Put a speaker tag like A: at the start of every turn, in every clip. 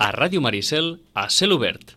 A: a Ràdio Maricel a cel obert.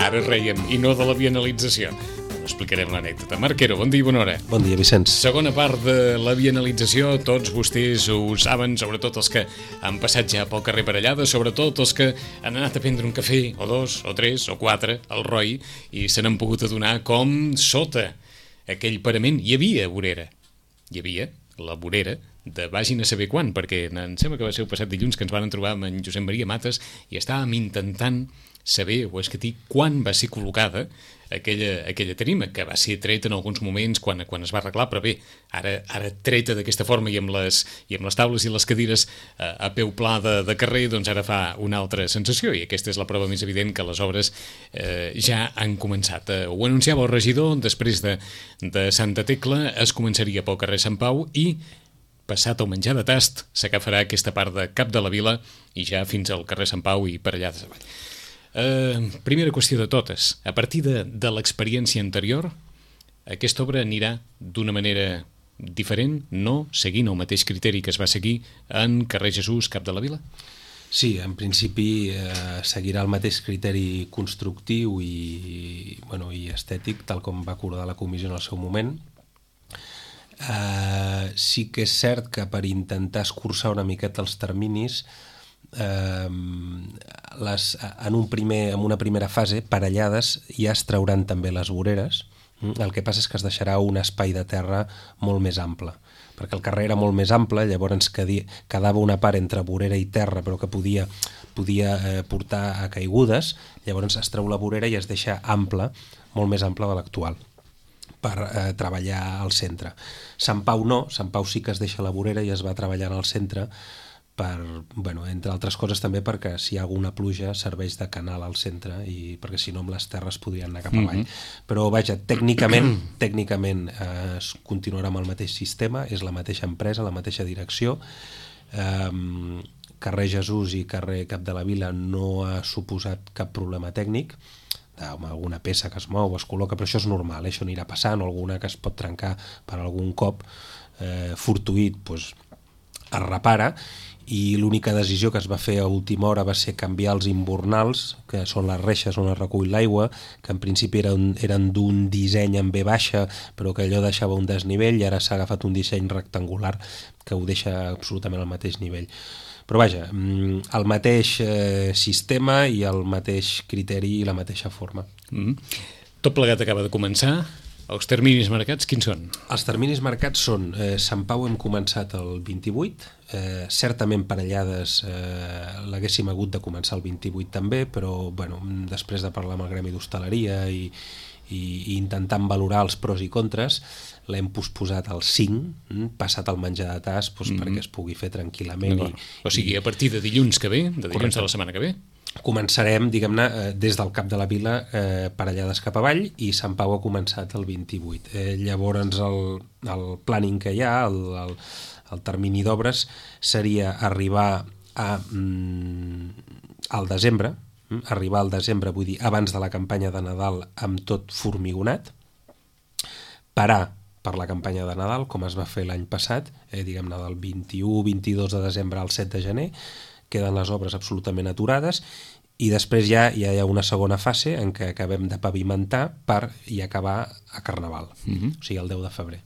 B: Ara rèiem, i no de la bienalització. Explicarem l'anècdota. Marc Quero, bon dia i bona hora.
C: Bon dia, Vicenç.
B: Segona part de la bienalització, tots vostès ho saben, sobretot els que han passat ja pel carrer Parellada, sobretot els que han anat a prendre un cafè, o dos, o tres, o quatre, al ROI, i se n'han pogut adonar com sota aquell parament hi havia vorera. Hi havia la vorera de vagin a saber quan, perquè em sembla que va ser el passat dilluns que ens van trobar amb en Josep Maria Mates i estàvem intentant saber o escatir quan va ser col·locada aquella tarima, que va ser treta en alguns moments quan es va arreglar, però bé, ara treta d'aquesta forma i amb les taules i les cadires a peu pla de carrer, doncs ara fa una altra sensació, i aquesta és la prova més evident que les obres ja han començat. Ho anunciava el regidor, després de Santa Tecla es començaria pel carrer Sant Pau i passat el menjar de tast s'agafarà aquesta part de Cap de la Vila i ja fins al carrer Sant Pau i Parellades avall. Primera qüestió de totes, a partir de l'experiència anterior, aquesta obra anirà d'una manera diferent, no seguint el mateix criteri que es va seguir en carrer Jesús, Cap de la Vila?
C: Sí, en principi seguirà el mateix criteri constructiu i estètic, tal com va acordar la comissió en el seu moment. Sí que és cert que per intentar escurçar una miqueta els terminis, en una primera fase, Parellades, ja es trauran també les voreres. El que passa és que es deixarà un espai de terra molt més ample, perquè el carrer era molt més ample, llavors quedava una part entre vorera i terra però que podia portar a caigudes, llavors es treu la vorera i es deixa ample, molt més ample de l'actual, per treballar al centre. Sant Pau no, Sant Pau sí que es deixa la vorera i es va treballar al centre entre altres coses també perquè si hi ha alguna pluja serveix de canal al centre i perquè si no amb les terres podrien anar cap avall. Però vaja, tècnicament es continuarà amb el mateix sistema, és la mateixa empresa, la mateixa direcció. Carrer Jesús i carrer Cap de la Vila no ha suposat cap problema tècnic, alguna peça que es mou o es col·loca, però això és normal, això anirà passant, o alguna que es pot trencar per algun cop fortuït, es repara. I l'única decisió que es va fer a última hora va ser canviar els imbornals, que són les reixes on es recull l'aigua, que en principi eren d'un disseny en V baixa, però que allò deixava un desnivell, i ara s'ha agafat un disseny rectangular que ho deixa absolutament al mateix nivell. Però vaja, el mateix sistema i el mateix criteri i la mateixa forma.
B: Tot plegat acaba de començar. Els terminis marcats, quins són? Els
C: terminis marcats són, Sant Pau hem començat el 28, certament Parellades l'haguéssim hagut de començar el 28 també, però després de parlar amb el Gremi d'Hostaleria i intentant valorar els pros i contres, l'hem posposat al 5, passat el menjar de tas perquè es pugui fer tranquil·lament.
B: O sigui, a partir de dilluns que ve, de dilluns de la setmana que ve?
C: Començarem, diguem-ne, des del Cap de la Vila, Parellades cap avall, i Sant Pau ha començat el 28. Llavors el planning que hi ha, el termini d'obres, seria arribar al desembre, vull dir, abans de la campanya de Nadal amb tot formigonat, parar per la campanya de Nadal, com es va fer l'any passat, diguem-ne del 21-22 de desembre al 7 de gener, queden les obres absolutament aturades i després ja hi ha una segona fase en què acabem de pavimentar i acabar a Carnaval, o sigui el 10 de febrer.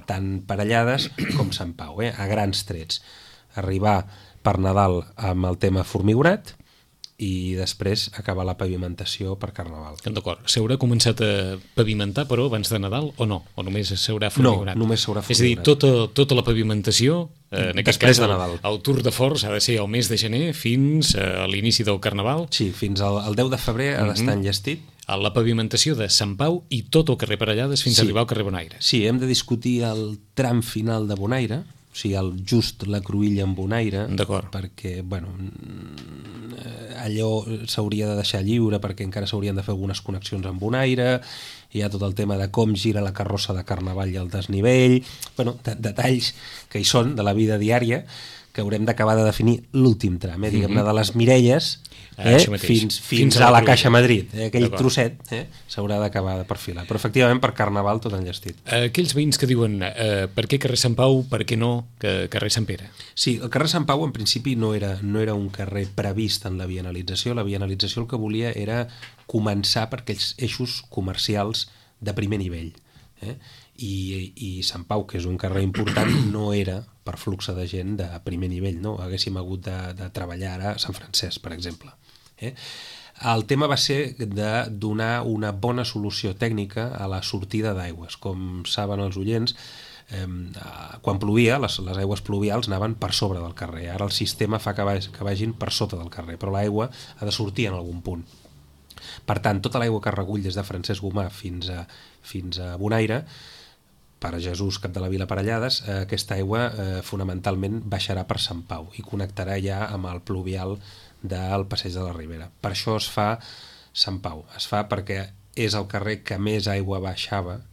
C: Tant Parellades com Sant Pau, a grans trets. Arribar per Nadal amb el tema formigonat i després acabar la pavimentació per Carnaval.
B: D'acord. S'haurà començat a pavimentar, però, abans de Nadal o no? O només s'haurà formigonat?
C: No, només s'haurà
B: És
C: formigonat.
B: a dir, tota la pavimentació, en aquest
C: Després
B: cas,
C: de Nadal.
B: el Tour de Forts ha de ser el mes de gener fins a l'inici del Carnaval.
C: Sí, fins al 10 de febrer ha d'estar enllestit.
B: A la pavimentació de Sant Pau i tot el carrer Parellades fins a arribar al carrer Bonaire.
C: Sí, hem de discutir el tram final de Bonaire, o sigui, just la cruïlla en Bonaire, perquè, bueno, allò s'hauria de deixar lliure perquè encara s'haurien de fer algunes connexions amb Bonaire, hi ha tot el tema de com gira la carrossa de Carnaval i el desnivell, bueno, detalls que hi són de la vida diària que haurem d'acabar de definir l'últim tram, diguem-ne, de les Mirelles fins a la Caixa Madrid, aquell trosset s'haurà d'acabar de perfilar, però efectivament per Carnaval tot enllestit.
B: Aquells veïns que diuen per què carrer Sant Pau, per què no carrer Sant Pere?
C: Sí, el carrer Sant Pau en principi no era un carrer previst en la vianalització el que volia era començar per aquells eixos comercials de primer nivell, i Sant Pau, que és un carrer important, no era per flux de gent de primer nivell, no? Haguéssim hagut de treballar ara a Sant Francesc, per exemple. El tema va ser de donar una bona solució tècnica a la sortida d'aigües. Com saben els oients, quan plovia, les aigües pluvials anaven per sobre del carrer. Ara el sistema fa que vagin per sota del carrer, però l'aigua ha de sortir en algun punt. Per tant, tota l'aigua que recull des de Francesc Gomà fins a Bonaire, per a Jesús, cap de la Vila Parellades, aquesta aigua fonamentalment baixarà per Sant Pau i connectarà ja amb el pluvial del Passeig de la Ribera. Per això es fa Sant Pau. Es fa perquè és el carrer que més aigua baixava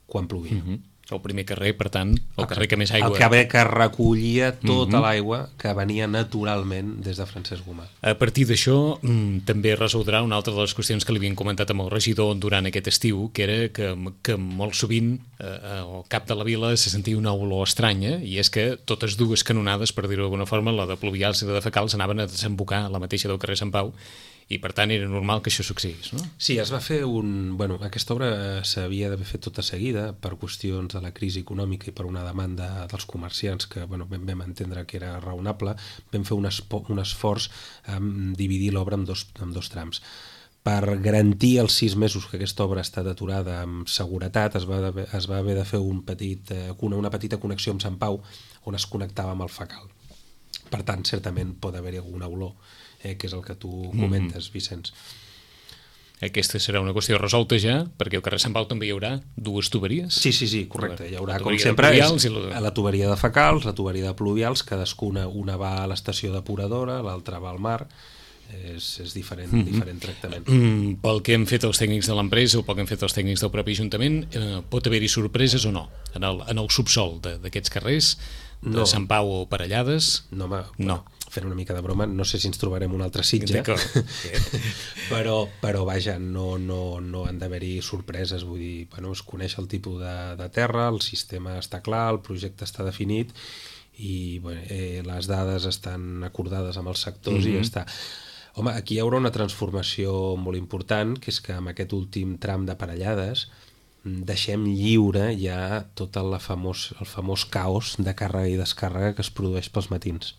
C: quan plovia.
B: El primer carrer, per tant, el carrer que més aigua...
C: El carrer que recollia tota l'aigua que venia naturalment des de Francesc Gomà.
B: A partir d'això, també resoldrà una altra de les qüestions que li havien comentat amb el regidor durant aquest estiu, que era que molt sovint al cap de la vila se sentia una olor estranya, i és que totes dues canonades, per dir-ho d'alguna forma, la de Pluvials i la de Fecals, anaven a desembocar a la mateixa del carrer Sant Pau, i per tant era normal que això succeís, no?
C: Sí, es va fer Bueno, aquesta obra s'havia d'haver fet tota seguida per qüestions de la crisi econòmica i per una demanda dels comerciants que vam entendre que era raonable. Vam fer un esforç en dividir l'obra en dos trams. Per garantir els 6 mesos que aquesta obra ha estat aturada amb seguretat, es va haver de fer una petita connexió amb Sant Pau on es connectava amb el Fecal. Per tant, certament pot haver-hi alguna olor, que és el que tu comentes, Vicenç.
B: Aquesta serà una qüestió resolta ja, perquè al carrer Sant Pau també hi haurà 2 tuberies.
C: Sí, correcte. Hi haurà, com sempre, la tuberia de Fecals, la tuberia de Pluvials, cadascuna, una va a l'estació depuradora, l'altra va al mar. És diferent tractament.
B: Pel que hem fet els tècnics de l'empresa o pel que hem fet els tècnics del propi Ajuntament, pot haver-hi sorpreses o no? En el subsol d'aquests carrers, de Sant Pau o Parellades?
C: No. Fent una mica de broma, no sé si ens trobarem un altre Sitges, però vaja, no han d'haver-hi sorpreses, vull dir, es coneix el tipus de terra, el sistema està clar, el projecte està definit i les dades estan acordades amb els sectors i ja està. Home, aquí hi haurà una transformació molt important, que és que amb aquest últim tram de Parellades deixem lliure ja tot el famós caos de càrrega i descàrrega que es produeix pels matins.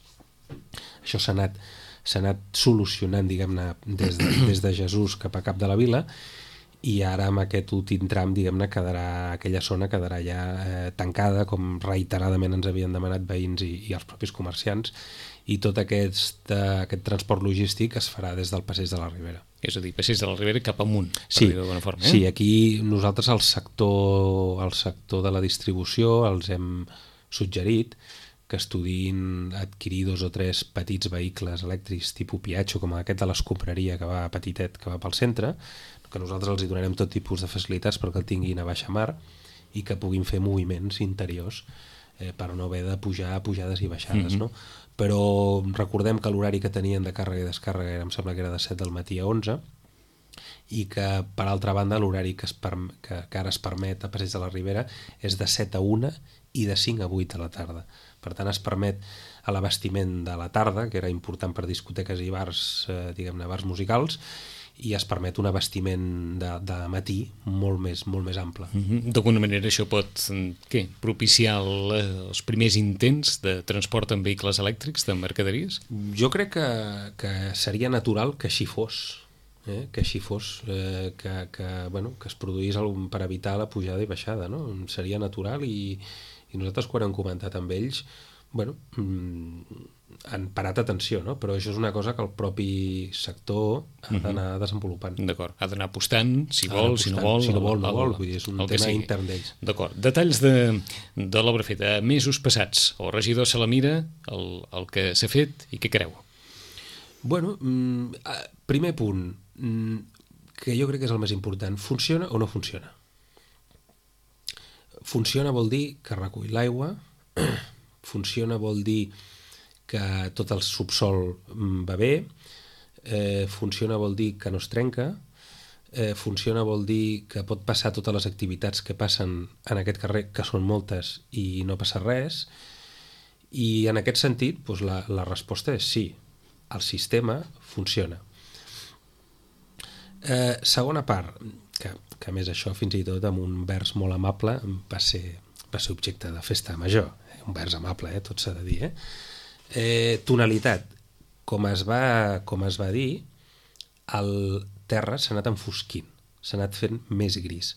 C: Això s'ha anat solucionant, diguem-ne, des de Jesús cap a Cap de la Vila, i ara amb aquest últim tram, diguem-ne, aquella zona quedarà ja tancada, com reiteradament ens havien demanat veïns i els propis comerciants, i tot aquest transport logístic es farà des del Passeig de la Ribera.
B: És a dir, Passeig de la Ribera cap amunt, per dir-ho d'alguna forma.
C: Sí, aquí nosaltres al sector de la distribució els hem suggerit que estudin adquirir 2 o 3 petits vehicles elèctrics tipus Piaggio, com aquest de l'escombraria que va petitet, que va pel centre, que nosaltres els hi donarem tot tipus de facilitats perquè el tinguin a baixa mar i que puguin fer moviments interiors per no haver de pujar pujades i baixades, no? Però recordem que l'horari que tenien de càrrega i descàrrega em sembla que era de 7 del matí a 11, i que, per altra banda, l'horari que ara es permet a Passeig de la Ribera és de 7 a 1 i de 5 a 8 de la tarda. Per tant, es permet a l'abastiment de la tarda, que era important per discoteques i bars, diguem-ne, bars musicals, i es permet un abastiment de matí molt més ample.
B: D'alguna manera això pot propiciar els primers intents de transport en vehicles elèctrics, de mercaderies?
C: Jo crec que seria natural que així fos, que així fos, que es produís per evitar la pujada i baixada, no? Seria natural i nosaltres quan hem comentat amb ells han parat atenció, no? Però això és una cosa que el propi sector ha d'anar desenvolupant.
B: D'acord, ha d'anar apostant, si vol, si no vol.
C: Si no vol, vull dir, és un tema intern d'ells.
B: D'acord. Detalls de l'obra feta. Mesos passats, el regidor se la mira, el que s'ha fet i què creu?
C: Bueno, primer punt, que jo crec que és el més important. Funciona o no funciona? Funciona vol dir que recull l'aigua, funciona vol dir que tot el subsol va bé, funciona vol dir que no es trenca, funciona vol dir que pot passar totes les activitats que passen en aquest carrer, que són moltes i no passa res, i en aquest sentit la resposta és sí, el sistema funciona. Segona part, que a més això fins i tot amb un vers molt amable va ser objecte de festa major, un vers amable, tot s'ha de dir, tonalitat, com es va dir, el terra s'ha anat enfosquint, s'ha anat fent més gris.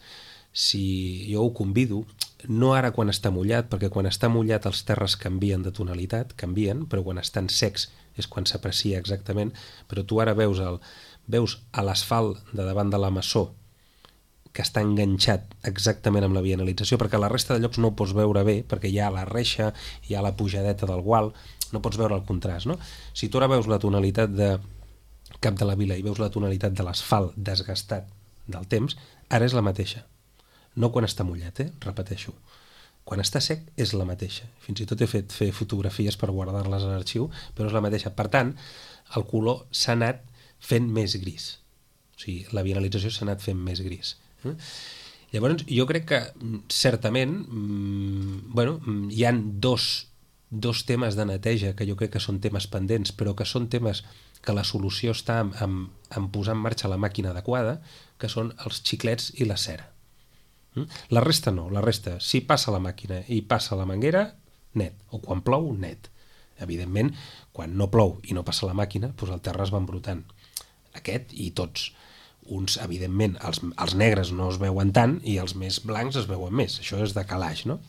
C: Si jo ho convido, no ara quan està mullat, perquè quan està mullat els terres canvien de tonalitat, però quan estan secs és quan s'aprecia exactament, però tu ara veus a l'asfalt de davant de la maçó que està enganxat exactament amb la vianalització, perquè la resta de llocs no ho pots veure bé, perquè hi ha la reixa, hi ha la pujadeta del gual, no pots veure el contrast, no? Si tu ara veus la tonalitat de Cap de la Vila i veus la tonalitat de l'asfalt desgastat del temps, ara és la mateixa. No quan està mullat, repeteixo. Quan està sec és la mateixa. Fins i tot he fet fotografies per guardar-les a l'arxiu, però és la mateixa. Per tant, el color s'ha anat fent més gris. O sigui, la vianalització s'ha anat fent més gris. Llavors, jo crec que certament hi han dos temes de neteja que jo crec que són temes pendents, però que són temes que la solució està en posar en marxa la màquina adequada, que són els xiclets i la cera. La resta no, la resta, si passa la màquina i passa la manguera, net, o quan plou, net. Evidentment, quan no plou i no passa la màquina, doncs el terra es va embrutant. Aquest i tots. Uns, evidentment, els negres no es veuen tant i els més blancs es veuen més. Això és de calaix, no?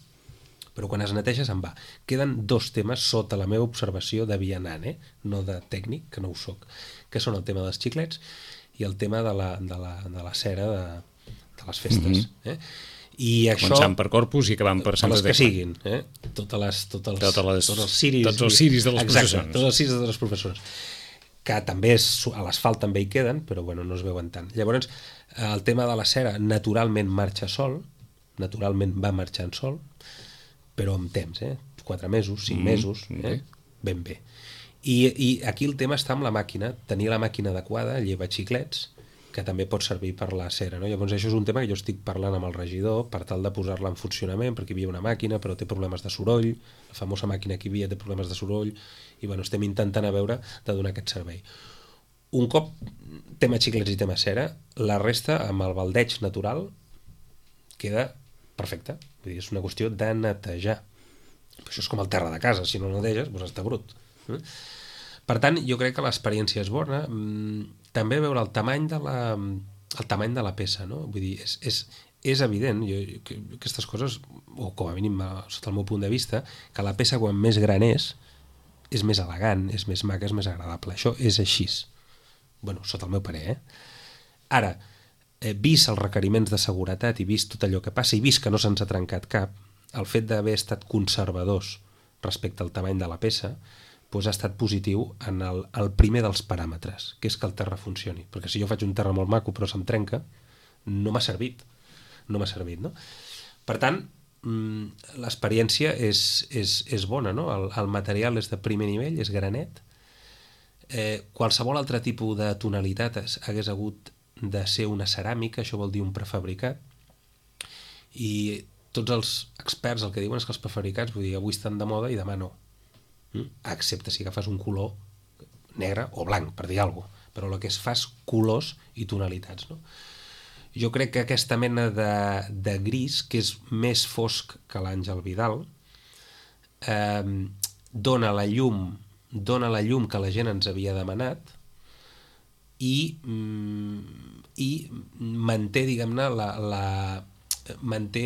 C: Però quan es neteja se'n va. Queden dos temes sota la meva observació de vianant, no de tècnic, que no ho soc, que són el tema dels xiclets i el tema de la cera de les festes. I això,
B: començant per Corpus i acabant per Santa Tecla.
C: Les que siguin, tots els ciris
B: de les processons.
C: Tots els ciris de les processons. Que també a l'asfalt també hi queden, però no es veuen tant. Llavors, el tema de la cera naturalment marxa sol, naturalment va marxant sol, però amb temps, 4 mesos, 5 mesos, ben bé. I aquí el tema està amb la màquina, tenir la màquina adequada, lleva xiclets, que també pot servir per la cera, no? Llavors això és un tema que jo estic parlant amb el regidor per tal de posar-la en funcionament, perquè hi havia una màquina però té problemes de soroll, la famosa màquina que hi havia té problemes de soroll, i estem intentant a veure de donar aquest servei. Un cop tema xiclets i tema cera, la resta amb el baldeig natural queda perfecte. Vull dir, és una qüestió de netejar. Això és com el terra de casa, si no neteges, doncs està brut. Per tant, jo crec que l'experiència és bona. També veure el tamany de la peça, no? Vull dir, és evident, aquestes coses, o com a mínim sota el meu punt de vista, que la peça quan més gran és més elegant, és més maca, és més agradable. Això és així. Sota el meu parer, Ara, vist els requeriments de seguretat i vist tot allò que passa i vist que no se'ns ha trencat cap, el fet d'haver estat conservadors respecte al tamany de la peça ha estat positiu en el primer dels paràmetres, que és que el terra funcioni. Perquè si jo faig un terra molt maco però se'm trenca, no m'ha servit. No m'ha servit, no? Per tant, l'experiència és bona, no? El material és de primer nivell, és granet. Qualsevol altre tipus de tonalitat hagués hagut de ser una ceràmica, això vol dir un prefabricat, i tots els experts el que diuen és que els prefabricats, vull dir, avui estan de moda i demà no, excepte si agafes un color negre o blanc, per dir alguna cosa, però el que es fa és colors i tonalitats, no? Jo crec que aquesta mena de gris, que és més fosc que l'Àngel Vidal, dona la llum que la gent ens havia demanat i manté, diguem-ne, manté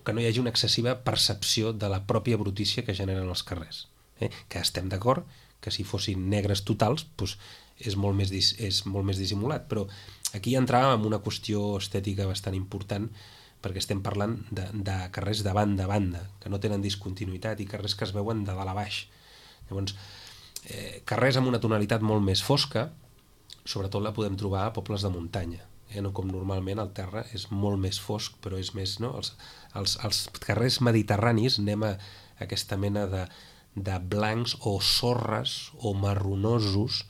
C: que no hi hagi una excessiva percepció de la pròpia brutícia que generen els carrers. Que estem d'acord que si fossin negres totals doncs és molt més dissimulat, però aquí entràvem en una qüestió estètica bastant important, perquè estem parlant de carrers de banda a banda, que no tenen discontinuïtat, i carrers que es veuen de dalt a baix. Llavors, carrers amb una tonalitat molt més fosca, sobretot la podem trobar a pobles de muntanya, no com normalment el terra és molt més fosc, però és més, no? Els carrers mediterranis anem a aquesta mena de blancs o sorres o marronosos.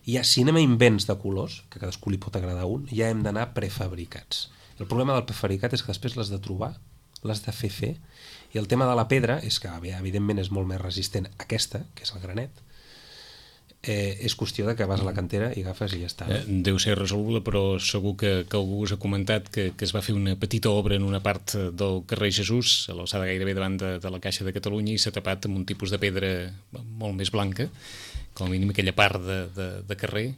C: Si anem a invents de colors, que a cadascú li pot agradar un, ja hem d'anar prefabricats. El problema del prefabricat és que després l'has de trobar, l'has de fer, i el tema de la pedra és que, evidentment, és molt més resistent aquesta, que és el granet. És qüestió de que vas a la cantera i agafes i ja està.
B: Deu ser resoluble, però segur que algú us ha comentat que es va fer una petita obra en una part del carrer Jesús, a l'alçada gairebé davant de la Caixa de Catalunya, i s'ha tapat amb un tipus de pedra molt més blanca, com a mínim aquella part de carrer.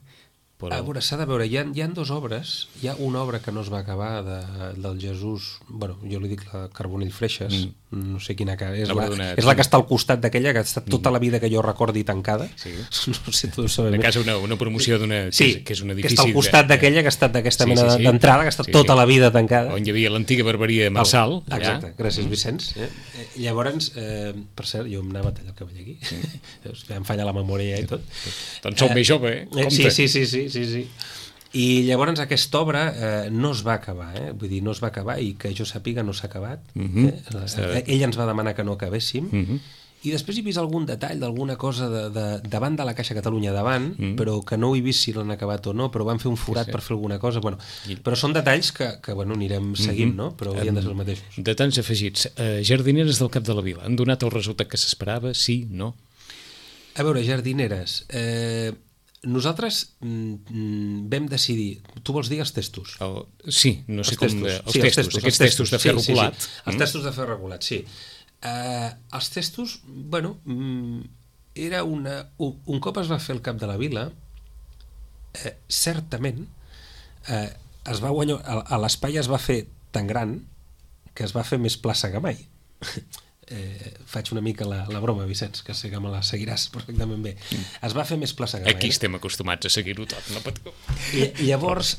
B: Però... A
C: veure, s'ha de veure, hi ha dues obres. Hi ha una obra que no es va acabar del Jesús, bueno, jo li dic la Carbonell Freixes, no sé quina cara, és la que està al costat d'aquella, que ha estat tota la vida que jo recordi tancada.
B: Sí.
C: No sé, tu ho sabem.
B: De casa una promoció d'una...
C: Sí,
B: que és un edifici...
C: que està al costat d'aquella, que ha estat d'aquesta mena d'entrada, que ha estat tota la vida tancada.
B: On hi havia l'antiga barberia Marçal.
C: Exacte, gràcies Vicenç. Llavors, per cert, jo em anava a tallar el cabell aquí, em falla la memòria i tot.
B: Doncs som més jove, compte.
C: Sí. I llavors aquesta obra no es va acabar, vull dir, no es va acabar, i que jo sàpiga no s'ha acabat. Ell ens va demanar que no acabéssim, i després he vist algun detall d'alguna cosa davant de la Caixa Catalunya davant, però que no he vist si l'han acabat o no, però van fer un forat per fer alguna cosa, bueno, però són detalls que anirem seguint, no? Però haurien de ser els mateixos.
B: Detalls afegits. Jardineres del Cap de la Vila, han donat el resultat que s'esperava? Sí? No?
C: A veure, jardineres... Nosaltres vam decidir... Tu vols dir els testos?
B: Sí, no sé com... Els testos, aquests testos de ferro colat.
C: Els testos de ferro colat, sí. Els testos, bueno, era un cop es va fer el Cap de la Vila, certament es va guanyar... L'espai es va fer tan gran que es va fer més plaça que mai. Faig una mica la broma, Vicenç, que sé que me la seguiràs perfectament bé. Es va fer més plaça que mai.
B: Aquí estem acostumats a seguir-ho tot, no patiu.
C: I llavors,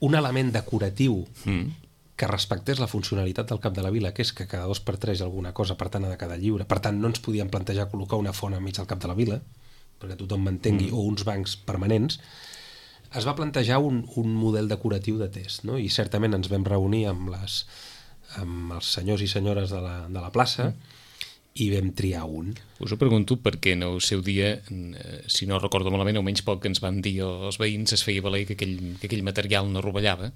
C: un element decoratiu que respectés la funcionalitat del Cap de la Vila, que és que cada 2x3 hi ha alguna cosa, per tant ha de quedar lliure. Per tant, no ens podíem plantejar col·locar una font enmig del Cap de la Vila, perquè tothom m'entengui, o uns bancs permanents. Es va plantejar un model decoratiu de test, no? I certament ens vam reunir amb els senyors i senyores de la plaça i vam triar un.
B: Us ho pregunto perquè en el seu dia, si no recordo malament, almenys poc que ens van dir els veïns, es feia valer que aquell material no rovellava.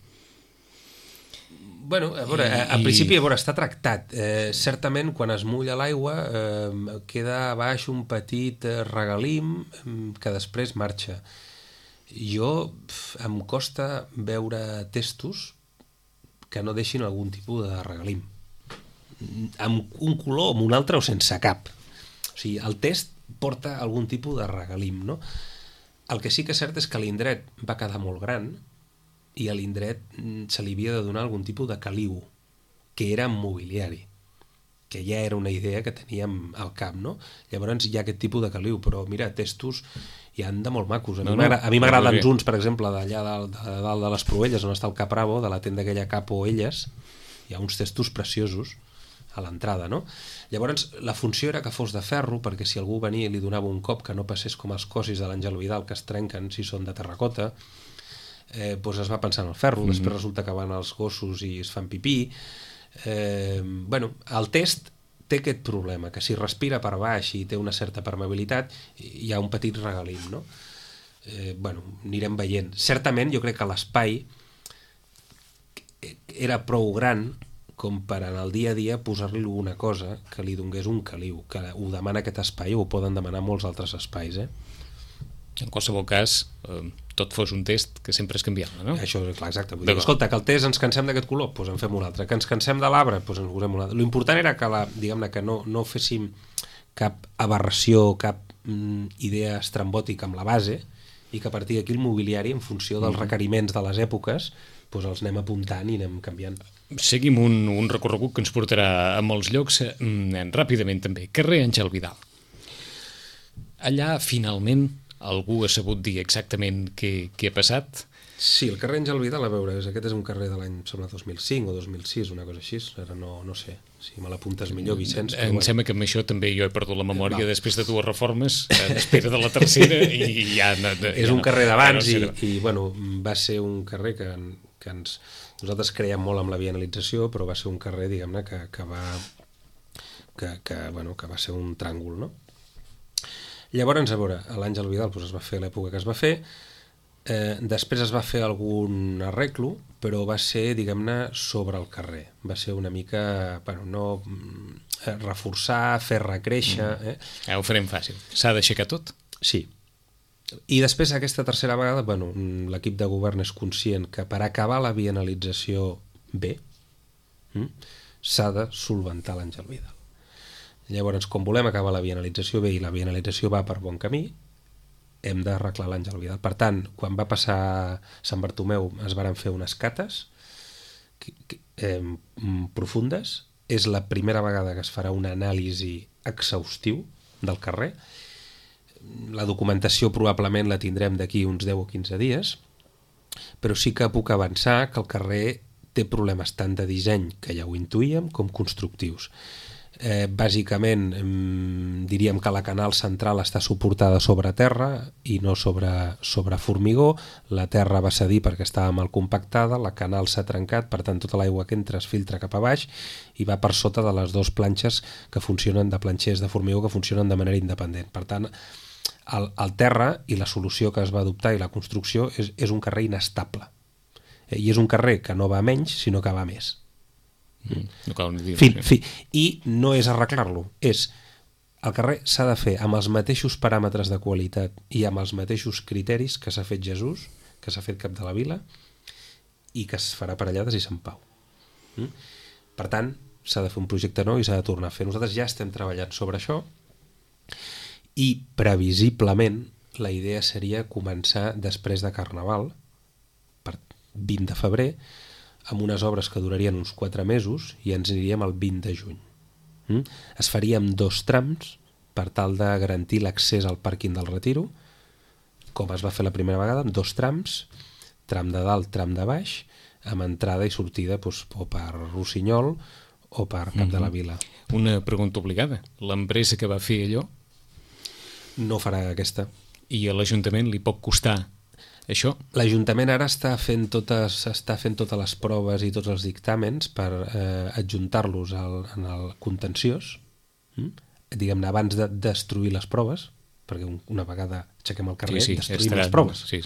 C: Bueno, a veure, al principi està tractat. Certament, quan es mulla l'aigua, queda a baix un petit regalim que després marxa. Em costa veure testos que no deixin algun tipus de regalim. Amb un color o amb un altre o sense cap. O sigui, el test porta algun tipus de regalim, no? El que sí que és cert és que l'indret va quedar molt gran i a l'indret se li havia de donar algun tipus de caliu, que era mobiliari, que ja era una idea que teníem al cap, no? Llavors hi ha aquest tipus de caliu, però mira, testos hi han de molt macos. A mi m'agraden uns, per exemple, d'allà dalt de les Proelles, on està el Capravo, de la tenda aquella Capo Elles, hi ha uns testos preciosos a l'entrada, no? Llavors, la funció era que fos de ferro, perquè si algú venia i li donava un cop que no passés com els cosis de l'Àngel Vidal, que es trenquen si són de terracota, doncs es va pensar en el ferro, després resulta que van els gossos i es fan pipí. Bueno, el test té aquest problema, que si respira per baix i té una certa permeabilitat, hi ha un petit regalim, no? Bueno, anirem veient. Certament, jo crec que l'espai era prou gran com per en el dia a dia posar-li alguna cosa que li donés un caliu, que ho demana aquest espai, o ho poden demanar molts altres espais,
B: En qualsevol cas, tot fos un test que sempre és canviable, no?
C: Això, clar, exacte. Vull dir, escolta, que el test ens cansem d'aquest color, doncs en fem un altre. Que ens cansem de l'arbre, doncs en posem un altre. L'important era que, diguem-ne, que no féssim cap aberració, cap idea estrambòtica amb la base, i que a partir d'aquí el mobiliari, en funció dels requeriments de les èpoques, doncs els anem apuntant i anem canviant.
B: Seguim un recorregut que ens portarà a molts llocs, ràpidament també. Carrer Àngel Vidal. Allà, finalment, algú ha sabut dir exactament què ha passat?
C: Sí, el carrer Àngel Vidal, a veure, aquest és un carrer de l'any, sembla, 2005 o 2006, una cosa així, ara no sé, si me l'apuntes millor, Vicenç.
B: Em sembla que amb això també jo he perdut la memòria després de 2 reformes, en espera de la tercera, i ja...
C: És un carrer d'abans i, bueno, va ser un carrer que nosaltres creiem molt amb la bienalització, però va ser un carrer, diguem-ne, que va ser un tràngol, no? Llavors, a veure, l'Àngel Vidal es va fer a l'època que es va fer, després es va fer algun arreglo, però va ser, diguem-ne, sobre el carrer. Va ser una mica, no reforçar, fer recréixer...
B: Ho farem fàcil. S'ha d'aixecar tot?
C: Sí. I després, aquesta tercera vegada, l'equip de govern és conscient que per acabar la bienalització bé, s'ha de solventar l'Àngel Vidal. Llavors, com volem acabar la bienalització bé i la bienalització va per bon camí, hem d'arreglar l'Àngel Vidal. Per tant, quan va passar Sant Bartomeu es varen fer unes cates profundes. És la primera vegada que es farà una anàlisi exhaustiu del carrer. La documentació probablement la tindrem d'aquí uns 10 o 15 dies, però sí que puc avançar que el carrer té problemes tant de disseny, que ja ho intuïem, com constructius. Bàsicament diríem que la canal central està suportada sobre terra i no sobre formigó. La terra va cedir perquè estava mal compactada, la canal s'ha trencat, per tant tota l'aigua que entra es filtra cap a baix i va per sota de les 2 planxes que funcionen, de planxers de formigó que funcionen de manera independent. Per tant, el terra i la solució que es va adoptar i la construcció és un carrer inestable, i és un carrer que no va menys sinó que va més.
B: No cal ni dir.
C: I no és arreglar-lo, el carrer s'ha de fer amb els mateixos paràmetres de qualitat i amb els mateixos criteris que s'ha fet Jesús, que s'ha fet Cap de la Vila i que es farà Parellades i Sant Pau. Per tant, s'ha de fer un projecte nou i s'ha de tornar a fer. Nosaltres ja estem treballant sobre això i previsiblement la idea seria començar després de Carnaval, per 20 de febrer, amb unes obres que durarien uns 4 mesos i ens aniríem al 20 de juny. Es faria amb 2 trams per tal de garantir l'accés al pàrquing del Retiro, com es va fer la primera vegada, amb 2 trams, tram de dalt, tram de baix, amb entrada i sortida o per Rossinyol o per Cap de la Vila.
B: Una pregunta obligada. L'empresa que va fer allò?
C: No farà aquesta.
B: I a l'Ajuntament li pot costar això?
C: L'Ajuntament ara està fent totes les proves i tots els dictàmens per adjuntar-los en el contenciós, diguem-ne, abans de destruir les proves, perquè una vegada aixequem el carrer, destruïm les proves.
B: Sí.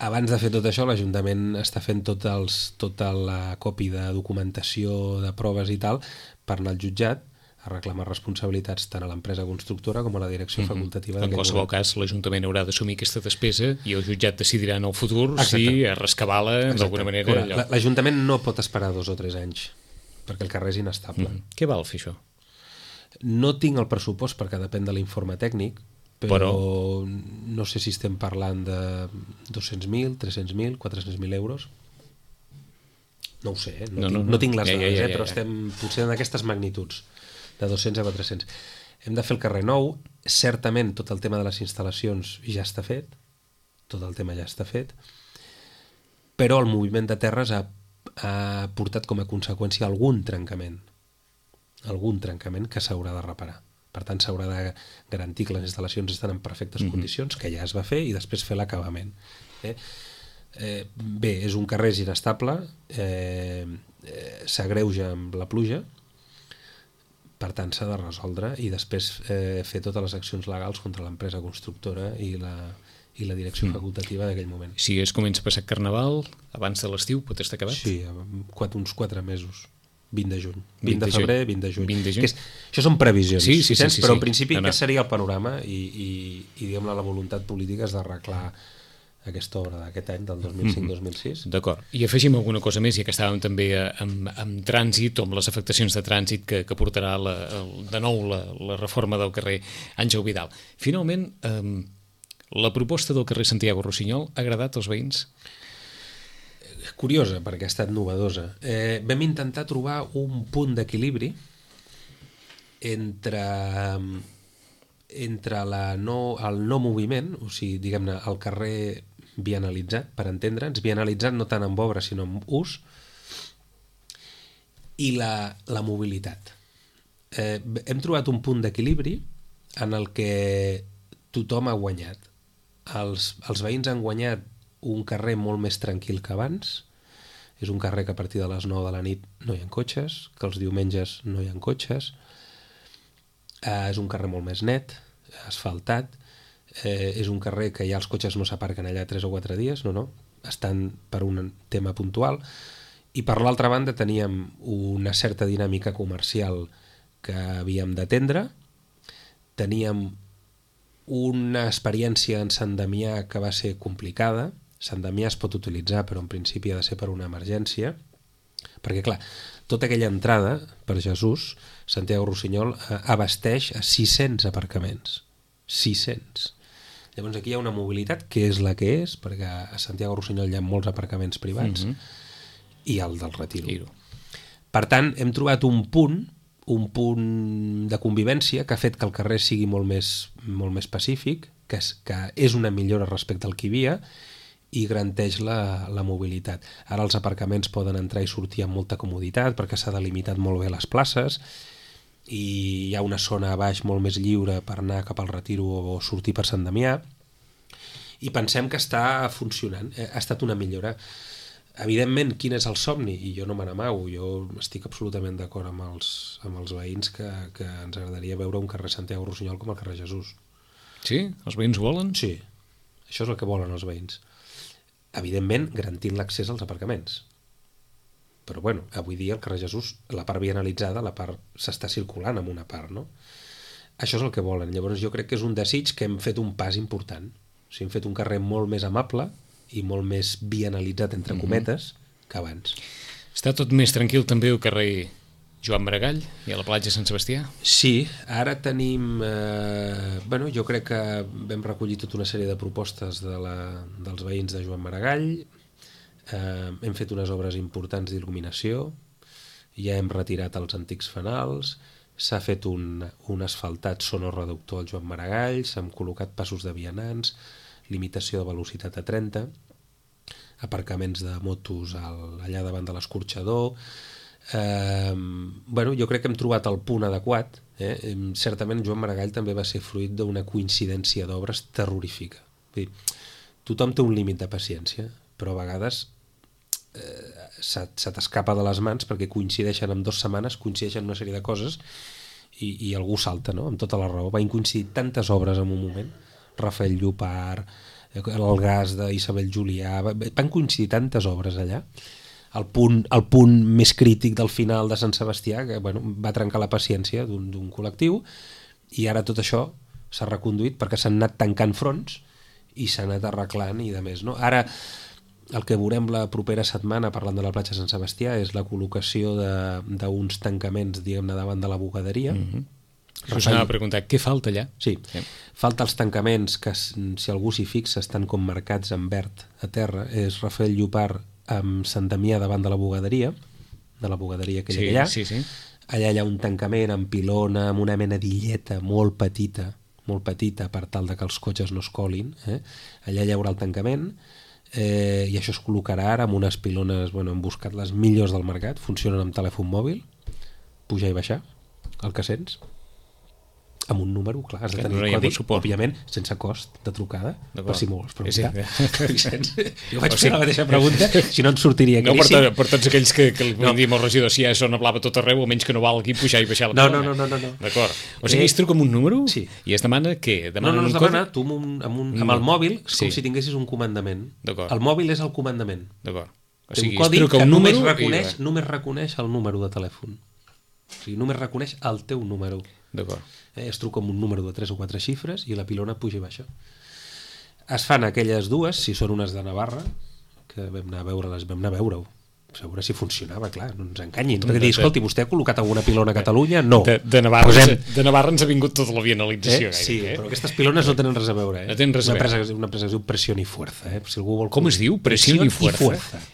C: Abans de fer tot això, l'Ajuntament està fent tota la còpia de documentació de proves i tal per anar al jutjat a reclamar responsabilitats tant a l'empresa constructora com a la direcció facultativa.
B: En qualsevol cas, l'Ajuntament haurà d'assumir aquesta despesa i el jutjat decidirà en el futur si rescabar-la d'alguna manera.
C: L'Ajuntament no pot esperar 2 o 3 anys perquè el carrer és inestable.
B: Què val fer això?
C: No tinc el pressupost perquè depèn de l'informe tècnic, però no sé si estem parlant de 200.000, 300.000, 400.000 euros. No ho sé, no tinc les dades, però estem potser en aquestes magnituds, de 200 a 400. Hem de fer el carrer nou. Certament tot el tema de les instal·lacions ja està fet, però el moviment de terres ha portat com a conseqüència algun trencament que s'haurà de reparar. Per tant, s'haurà de garantir que les instal·lacions estan en perfectes condicions, que ja es va fer, i després fer l'acabament. Bé, és un carrer inestable, s'agreuja amb la pluja, per tant s'ha de resoldre i després fer totes les accions legals contra l'empresa constructora i la direcció facultativa d'aquell moment.
B: Si es comença a passar Carnaval, abans de l'estiu pot estar acabat?
C: Sí, uns 4 mesos. 20 de juny. 20 de febrer, 20 de juny.
B: 20 de juny.
C: Això són previsions,
B: sí,
C: però en principi aquest seria el panorama i diguem-ne, la voluntat política és d'arreglar aquesta obra d'aquest any, del 2005-2006.
B: D'acord. I afegim alguna cosa més, ja que estàvem també amb trànsit, o amb les afectacions de trànsit que portarà de nou la reforma del carrer Àngel Vidal. Finalment, la proposta del carrer Santiago Rossinyol ha agradat als veïns?
C: Curiosa, perquè ha estat novedosa. Vam intentar trobar un punt d'equilibri entre el no moviment, o sigui, diguem-ne, el carrer vianalitzat, per entendre'ns, vianalitzat no tant amb obra sinó amb ús, i la mobilitat. Hem trobat un punt d'equilibri en el que tothom ha guanyat. Els veïns han guanyat un carrer molt més tranquil que abans. És un carrer que a partir de les 9 de la nit no hi ha cotxes, que els diumenges no hi ha cotxes. És un carrer molt més net, asfaltat. És un carrer que ja els cotxes no s'aparquen allà 3 o 4 dies, no, estan per un tema puntual. I per l'altra banda teníem una certa dinàmica comercial que havíem d'atendre. Teníem una experiència en Sant Damià que va ser complicada. Sant Damià es pot utilitzar, però en principi ha de ser per una emergència, perquè clar, tota aquella entrada per Jesús, Santiago Rossinyol abasteix a 600 aparcaments. 600. Llavors aquí hi ha una mobilitat que és la que és, perquè a Santiago Rossinyol hi ha molts aparcaments privats, i el del Retiro. Per tant, hem trobat un punt de convivència que ha fet que el carrer sigui molt més pacífic, que és una millora respecte al que hi havia, i garanteix la mobilitat. Ara els aparcaments poden entrar i sortir amb molta comoditat perquè s'ha delimitat molt bé les places i hi ha una zona a baix molt més lliure per anar cap al Retiro o sortir per Sant Damià, i pensem que està funcionant. Ha estat una millora. Evidentment, quin és el somni? I jo no me n'amago, jo estic absolutament d'acord amb els veïns que ens agradaria veure un carrer Santiago Rossinyol com el carrer Jesús.
B: Sí? Els veïns ho volen?
C: Sí, això és el que volen els veïns. Evidentment, garantint l'accés als aparcaments. Però bueno, avui dia el carrer Jesús, la part vianalitzada, la part s'està circulant en una part, no? Això és el que volen. Llavors jo crec que és un desig que hem fet un pas important. O sigui, hem fet un carrer molt més amable i molt més vianalitzat, entre cometes, que abans.
B: Està tot més tranquil també el carrer Joan Maragall i a la platja Sant Sebastià?
C: Sí, ara tenim... jo crec que vam recollir tota una sèrie de propostes dels veïns de Joan Maragall, hem fet unes obres importants d'il·luminació, ja hem retirat els antics fanals, s'ha fet un asfaltat sonoreductor al Joan Maragall, s'han col·locat passos de vianants, limitació de velocitat a 30, aparcaments de motos allà davant de l'escorxador. Jo crec que hem trobat el punt adequat. Certament Joan Maragall també va ser fruit d'una coincidència d'obres terrorífica. Tothom té un límit de paciència, però a vegades se t'escapa de les mans perquè coincideixen en 2 setmanes, coincideixen una sèrie de coses i algú salta, no? Amb tota la raó. Van coincidir tantes obres en un moment, Rafael Llopart, el gas d'Isabel Julià, van coincidir tantes obres allà. El punt més crític del final de Sant Sebastià, que va trencar la paciència d'un col·lectiu, i ara tot això s'ha reconduït perquè s'han anat tancant fronts i s'ha anat arreglant i de més, no? Ara el que veurem la propera setmana, parlant de la platja Sant Sebastià, és la col·locació d'uns tancaments, diguem-ne, davant de la bugaderia.
B: Us anava a preguntar, què falta allà?
C: Sí, falta els tancaments que, si algú s'hi fixa, estan com marcats en verd a terra. És Rafael Llopart amb Sant Damià davant de la bugaderia aquella que hi ha.
B: Sí.
C: Allà hi ha un tancament amb pilona, amb una mena d'illeta molt petita per tal de que els cotxes no es colin. Allà hi haurà el tancament, i això es col·locarà ara amb unes pilones, hem buscat les millors del mercat, funcionen amb telèfon mòbil, pujar i baixar, el que sents, amb un número, clar, has de tenir el codi, òbviament, sense cost de trucada, per si m'ho vols preguntar. Jo vaig fer la mateixa pregunta, si no ens sortiria caríssim.
B: No, per tots aquells que diem al regidor, si ja sona blava tot arreu, almenys que no valgui pujar i baixar la pilona.
C: No.
B: D'acord. O sigui, es truca amb un número i es demana què?
C: No, es demana, tu amb el mòbil, com si tinguessis un comandament. El mòbil és el comandament.
B: D'acord. O
C: Té
B: sigui,
C: un codi
B: es truca
C: que
B: un
C: només
B: número
C: reconeix el número de telèfon. O sigui, només reconeix el teu número.
B: D'acord.
C: Es truca amb un número de 3 o 4 xifres i la pilona puja i baixa. Es fan aquelles dues, si són unes de Navarra, que vam anar a veure-ho. A veure si funcionava, clar, no ens enganyin. Perquè dir, escolti, vostè ha col·locat alguna pilona a Catalunya? No.
B: De Navarra ens ha vingut tota la vianalització.
C: Sí, però aquestes pilones no tenen res a veure.
B: No tenen res a veure.
C: Una empresa que es diu Presión y Fuerza. Si algú vol...
B: Com es diu? Presión y Fuerza.
C: Fuerza.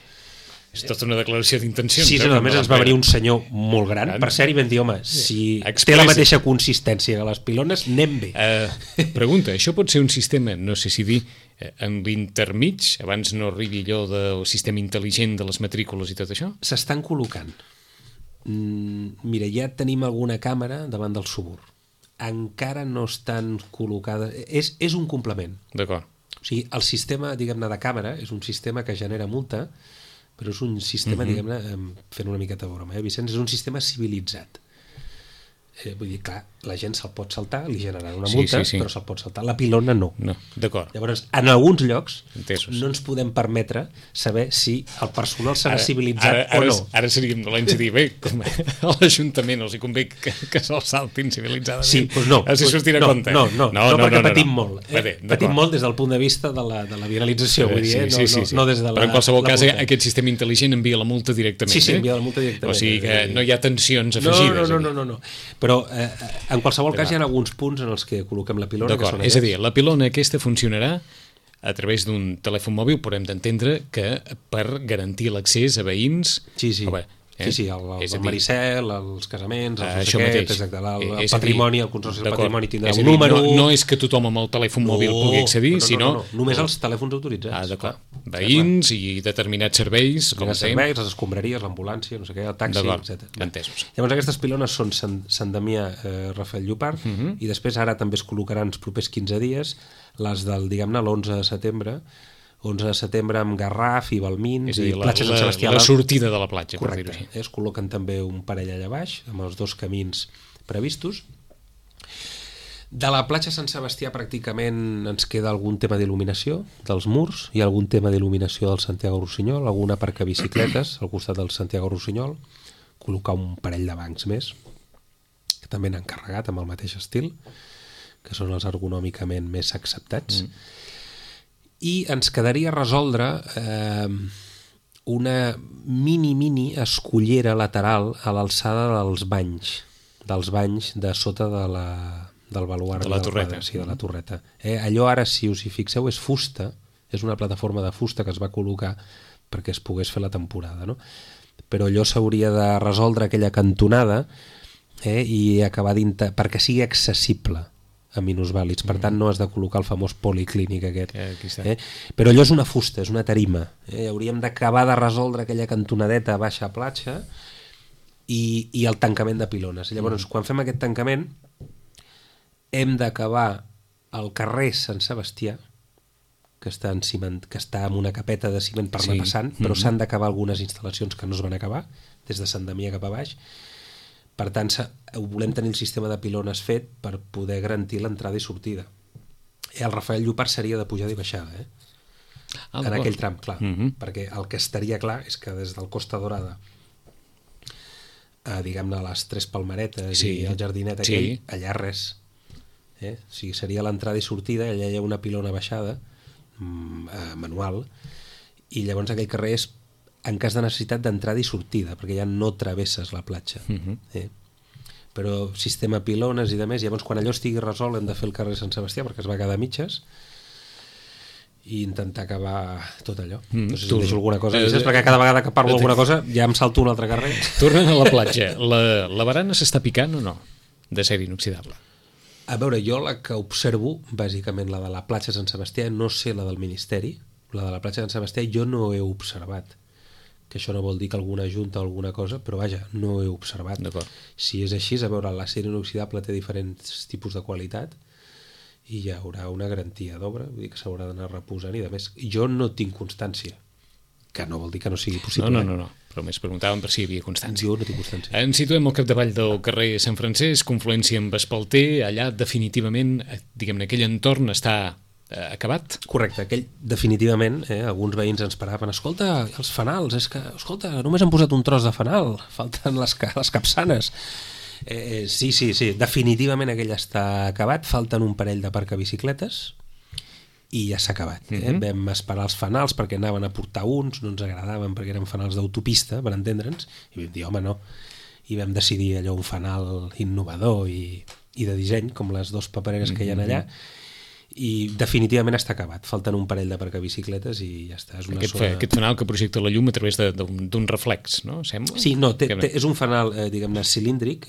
B: És tota una declaració d'intencions.
C: Sí, a més ens va venir un senyor molt gran, per cert, i vam dir, home, si té la mateixa consistència que les pilones, anem bé.
B: Pregunta, això pot ser un sistema, no sé si dir, en l'intermig, abans no arribi allò del sistema intel·ligent de les matrícules i tot això?
C: S'estan col·locant. Mira, ja tenim alguna càmera davant del Subur. Encara no estan col·locades... És un complement.
B: D'acord.
C: O sigui, el sistema, diguem-ne, de càmera és un sistema que genera multa, però és un sistema, diguem-ne, fent una miqueta de broma, Vicenç, és un sistema civilitzat. Vull dir, clar, la gent se'l pot saltar, li generaran una multa, però se'l pot saltar. La pilona no.
B: No, d'acord.
C: Llavors, en alguns llocs
B: Entesos.
C: no ens podem permetre saber si el personal serà civilitzat o no.
B: Ara seríem dolents a dir, bé, com a l'Ajuntament els hi convé que se'l saltin civilitzadament.
C: Sí, doncs no.
B: Si sortirà a compte.
C: No, perquè patim molt. Patim molt des del punt de vista de la viralització, vull dir, no des de la...
B: Però en qualsevol cas, aquest sistema intel·ligent envia la multa directament.
C: Sí, envia la multa directament.
B: O sigui que no hi ha tensions afegides.
C: No. Però en qualsevol cas hi ha alguns punts en els que col·loquem la pilona.
B: D'acord, és a dir, la pilona aquesta funcionarà a través d'un telèfon mòbil, però hem d'entendre que per garantir l'accés a veïns...
C: Sí, el Maricel, els casaments, els
B: això mateix.
C: Exacte, el patrimoni, el consorci del patrimoni tindrà un
B: dir,
C: número...
B: No és que tothom amb el telèfon mòbil pugui accedir, sinó...
C: Només els telèfons autoritzats.
B: D'acord. Veïns i determinats serveis, com
C: serveis, les escombraries, l'ambulància, no sé què, el taxi, etc.
B: Entesos.
C: Llavors aquestes pilones són Sant Damià, Rafael Llopart, i després ara també es col·locaran els propers 15 dies les del, diguem-ne, l'11 de setembre, 11 de setembre amb Garraf i Balmins i platja Sant Sebastià.
B: La sortida de la platja,
C: correcte,
B: per dir-ho així.
C: Es col·loquen també un parell allà baix, amb els dos camins previstos. De la platja Sant Sebastià pràcticament ens queda algun tema d'il·luminació dels murs, hi ha algun tema d'il·luminació del Santiago Rossinyol, algun aparcabicicletes al costat del Santiago Rossinyol, col·locar un parell de bancs més, que també n'han carregat amb el mateix estil, que són els ergonòmicament més acceptats. I ens quedaria resoldre una mini escollera lateral a l'alçada dels banys de sota del baluard
B: de la torreta.
C: Sí, de la torreta. Allò ara, si us hi fixeu, és fusta, és una plataforma de fusta que es va col·locar perquè es pogués fer la temporada, no? Però allò s'hauria de resoldre aquella cantonada i acabar perquè sigui accessible a minusvàlids, per tant no has de col·locar el famós policlínic aquest. Però allò és una fusta, és una tarima. Hauríem d'acabar de resoldre aquella cantonadeta a baixa platja i el tancament de pilones. Llavors, quan fem aquest tancament, hem d'acabar el carrer Sant Sebastià, que està amb una capeta de ciment per anar passant, però s'han d'acabar algunes instal·lacions que no es van acabar, des de Sant Damià cap a baix. Per tant, volem tenir el sistema de pilones fet per poder garantir l'entrada i sortida. El Rafael Llopart seria de pujada i baixada, en aquell tram, clar. Perquè el que estaria clar és que des del Costa Dorada diguem-ne a les Tres Palmeretes i el jardinet aquell, allà res. O sigui, seria l'entrada i sortida, allà hi ha una pilona baixada manual, i llavors aquell carrer és en cas de necessitat d'entrada i sortida, perquè ja no travesses la platja. Però sistema pilones i demés, llavors quan allò estigui resolt hem de fer el carrer Sant Sebastià perquè es va quedar a mitges i intentar acabar tot allò. No sé si deixo alguna cosa, perquè cada vegada que parlo alguna cosa ja em salto un altre carrer.
B: Tornant a la platja, la barana s'està picant o no? D'acer inoxidable.
C: A veure, jo la que observo, bàsicament la de la platja Sant Sebastià, no sé la del Ministeri, la de la platja Sant Sebastià jo no he observat. Que això no vol dir que alguna junta o alguna cosa, però vaja, no he observat. Si és així, a veure, l'acer inoxidable té diferents tipus de qualitat i hi haurà una garantia d'obra, vull dir que s'haurà d'anar reposant i de més. Jo no tinc constància, que no vol dir que no sigui possible.
B: No, però més preguntàvem per si hi havia constància.
C: Jo no tinc constància.
B: Ens situem al capdavall del carrer Sant Francesc, confluència amb Espalter, allà definitivament, diguem-ne, aquell entorn està acabat.
C: Correcte, aquell definitivament, alguns veïns ens paraven, escolta, els fanals, és que, escolta, només han posat un tros de fanal, falten les capçanes. Sí, definitivament aquell està acabat, falten un parell de aparcabicicletes i ja s'ha acabat. Vam esperar els fanals perquè anaven a portar uns, no ens agradaven perquè eren fanals d'autopista, per entendre'ns, i vam dir, home, no. I vam decidir allò un fanal innovador i de disseny, com les dues papereres que hi ha allà, i definitivament està acabat. Falten un parell d'aparcabicicletes i ja està. És una
B: Aquest fanal que projecta la llum a través d'un reflex, no? Sembla?
C: Sí, no, és un fanal, diguem-ne, cilíndric.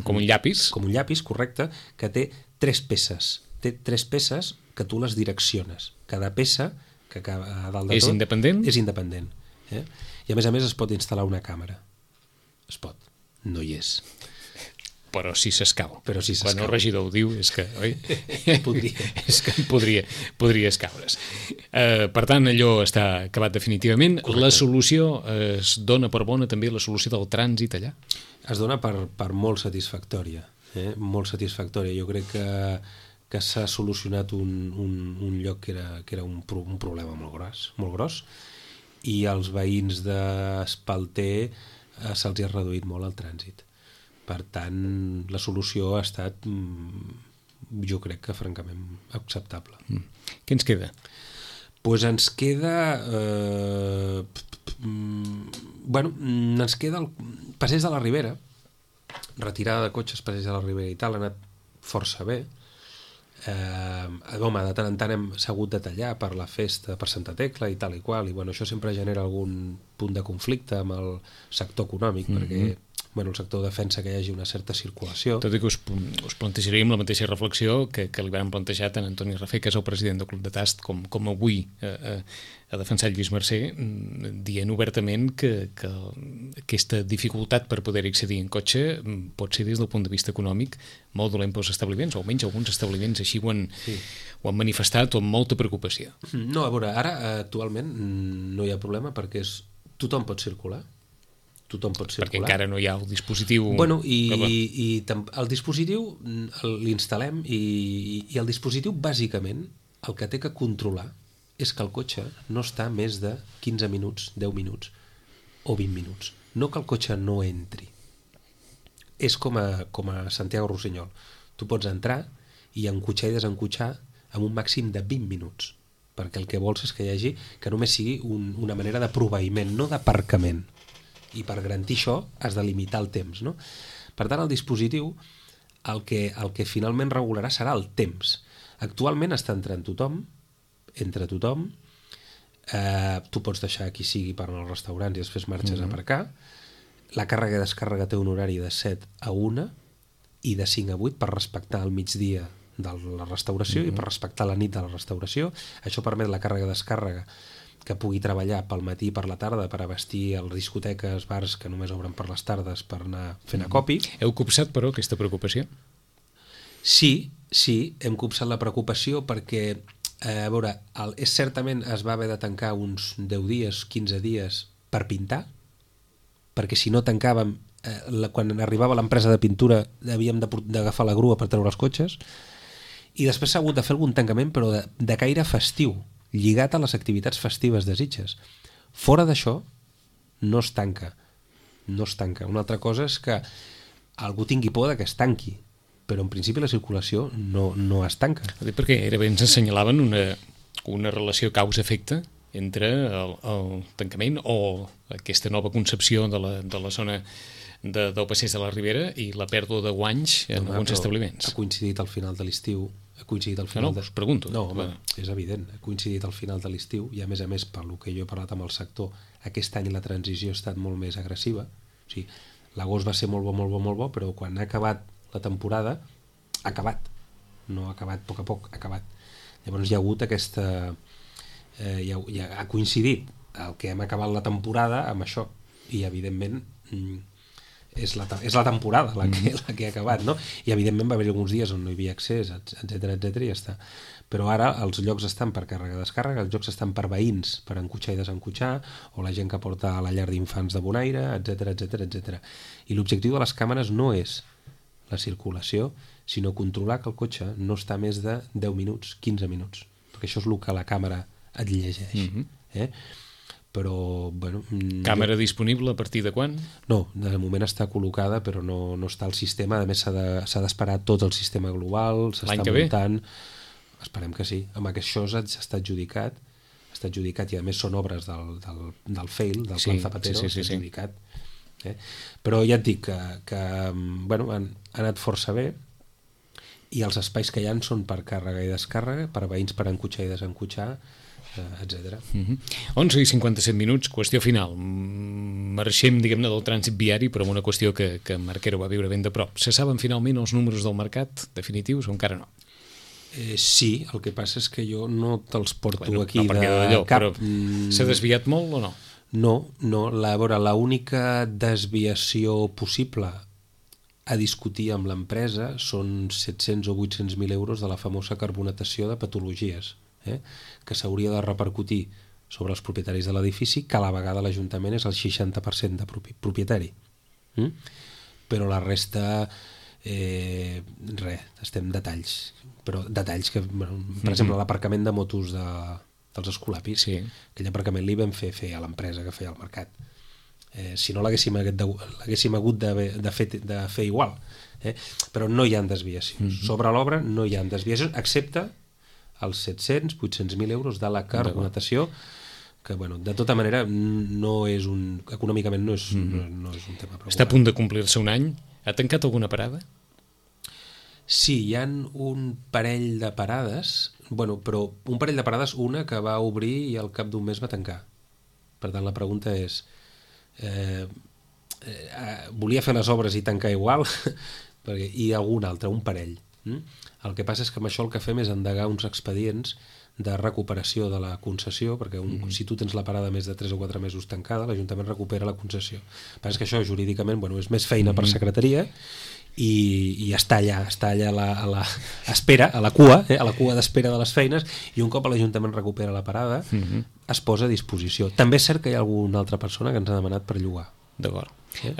B: Com un llapis.
C: Com un llapis, correcte, que té 3 peces. Té 3 peces que tu les direcciones. Cada peça, que a dalt de tot...
B: És independent?
C: És independent. I a més es pot instal·lar una càmera. Es pot. No hi és.
B: Però si s'escau.
C: Quan
B: el regidor ho diu és que, oi?
C: Podria.
B: És que podria escaure's. Per tant, allò està acabat definitivament. Correcte. La solució es dona per bona també la solució del trànsit allà?
C: Es dona per molt satisfactòria. Molt satisfactòria. Jo crec que s'ha solucionat un lloc que era un problema molt gros, i als veïns d'Espalter se'ls ha reduït molt el trànsit. Per tant, la solució ha estat, jo crec que francament acceptable.
B: Què ens queda?
C: Doncs ens queda... ens queda el passeig de la Ribera, retirada de cotxes, passeig de la Ribera i tal, ha anat força bé. De tant en tant hem hagut de tallar per la festa, per Santa Tecla i tal i qual, i això sempre genera algun punt de conflicte amb el sector econòmic, perquè el sector defensa que hi hagi una certa circulació.
B: Tot i que us plantejaríem la mateixa reflexió que li van plantejar tant Antoni Rafé, que és el president del Club de Tast, com avui ha defensat Lluís Mercè, dient obertament que aquesta dificultat per poder accedir en cotxe pot ser des del punt de vista econòmic molt dolent pels establiments, o almenys alguns establiments així ho han manifestat amb molta preocupació.
C: No, a veure, ara actualment no hi ha problema perquè tothom pot circular.
B: Perquè encara no hi ha el dispositiu...
C: I el dispositiu l'instal·lem i el dispositiu bàsicament el que té que controlar és que el cotxe no està més de 15 minuts, 10 minuts o 20 minuts. No que el cotxe no entri. És com a Santiago Rossinyol. Tu pots entrar i encotxar i desencotxar amb un màxim de 20 minuts, perquè el que vols és que hi hagi, que només sigui una manera de proveïment, no d'aparcament. I per garantir això has de limitar el temps, no? Per tant, el dispositiu el que finalment regularà serà el temps. Actualment està entra tothom, tu pots deixar qui sigui per anar als restaurants i després marxes a aparcar. La càrrega i descàrrega té un horari de 7 a 1 i de 5 a 8 per respectar el migdia de la restauració i per respectar la nit de la restauració. Això permet la càrrega i descàrrega que pugui treballar pel matí i per la tarda per abastir les discoteques, bars que només obren per les tardes per anar fent acopi.
B: Heu copsat, però, aquesta preocupació?
C: Sí, hem copsat la preocupació perquè, a veure, certament es va haver de tancar uns 10 dies, 15 dies per pintar, perquè si no tancàvem, quan arribava l'empresa de pintura havíem d'agafar la grua per treure els cotxes, i després s'ha hagut de fer algun tancament, però de caire festiu, lligat a les activitats festives de Sitges. Fora d'això, no es tanca. Una altra cosa és que algú tingui por que es tanqui, però en principi la circulació no es tanca.
B: Perquè bé ens assenyalaven una relació causa-efecte entre el tancament o aquesta nova concepció de la zona del passeig de la Ribera i la pèrdua de guanys en alguns establiments.
C: Ha coincidit al final de l'estiu.
B: Us pregunto.
C: No, home, és evident. Ha coincidit al final de l'estiu i, a més, pel que jo he parlat amb el sector, aquest any la transició ha estat molt més agressiva. O sigui, l'agost va ser molt bo, però quan ha acabat la temporada, ha acabat. No ha acabat a poc, ha acabat. Llavors hi ha hagut aquesta... ha coincidit el que hem acabat la temporada amb això. I, evidentment... és la temporada la que ha acabat, no? I evidentment va haver alguns dies on no hi havia accés, etc i ja està. Però ara els llocs estan per càrrega-descàrrega, els llocs estan per veïns, per encotxar i desencotxar, o la gent que porta a la llar d'infants de Bonaire, etc. I l'objectiu de les càmeres no és la circulació, sinó controlar que el cotxe no està més de 10 minuts, 15 minuts, perquè això és el que la càmera et llegeix. Però, bueno...
B: Càmera disponible a partir de quan?
C: No, de moment està col·locada, però no està al sistema. A més, s'ha d'esperar tot el sistema global, s'està muntant... Esperem que sí. Amb això està adjudicat, i a més són obres del FAIL, del Plan Zapatero, està adjudicat. Però ja et dic que bueno, han anat força bé, i els espais que hi ha són per càrrega i descàrrega, per veïns per encotxar i desencotxar, etc.
B: 11:57, qüestió final. Marxem, diguem-ne, del trànsit viari, però amb una qüestió que Marquero va viure ben de prop. Se saben finalment els números del mercat definitius o encara no?
C: Sí, el que passa és que jo no te'ls porto aquí
B: no
C: de cap...
B: Però s'ha desviat molt o no?
C: No, l'única desviació possible a discutir amb l'empresa són 700 o 800.000 euros de la famosa carbonatació de patologies, que s'hauria de repercutir sobre els propietaris de l'edifici, que a la vegada l'Ajuntament és el 60% de propietari. Però la resta, estem detalls. Però detalls que, per exemple, l'aparcament de motos dels Escolapis, aquell aparcament li vam fer a l'empresa que feia el mercat. Si no l'haguéssim hagut de fer igual. Però no hi ha desviacions. Sobre l'obra no hi ha desviacions, excepte els 700-800.000 euros de la carbonatació, que, bueno, de tota manera, econòmicament no és un tema preocupant.
B: Està a punt de complir-se un any. Ha tancat alguna parada?
C: Sí, hi ha un parell de parades, però un parell de parades, una que va obrir i al cap d'un mes va tancar. Per tant, la pregunta és, volia fer les obres i tancar igual? I algun altre, un parell. El que passa és que amb això el que fem és endegar uns expedients de recuperació de la concessió, perquè si tu tens la parada més de 3 o 4 mesos tancada, l'Ajuntament recupera la concessió. El que passa és que això jurídicament és més feina per secretaria i està allà a l'espera, a la cua d'espera de les feines, i un cop l'Ajuntament recupera la parada es posa a disposició. També és cert que hi ha alguna altra persona que ens ha demanat per llogar.
B: D'acord.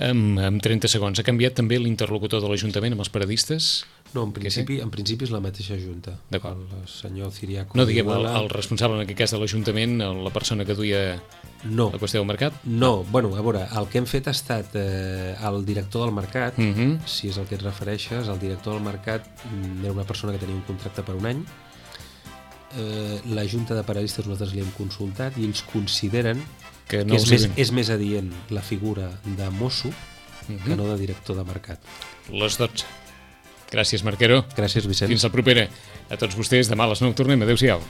B: En 30 segons, ha canviat també l'interlocutor de l'Ajuntament amb els paradistes?
C: No, en principi és la mateixa Junta.
B: D'acord.
C: El senyor Ciriaco...
B: No, diguem, el responsable en aquest cas de l'Ajuntament, la persona que duia la qüestió del mercat?
C: No, a veure, el que hem fet ha estat el director del mercat, si és el que et refereixes, el director del mercat era una persona que tenia un contracte per un any, la Junta de Paradistes nosaltres li hem consultat i ells consideren que és més adient la figura de mosso que no de director de mercat.
B: Les 12. Gràcies, Marquero.
C: Gràcies, Vicent.
B: Fins la propera. A tots vostès, demà a les 9 tornem. Adéu-siau.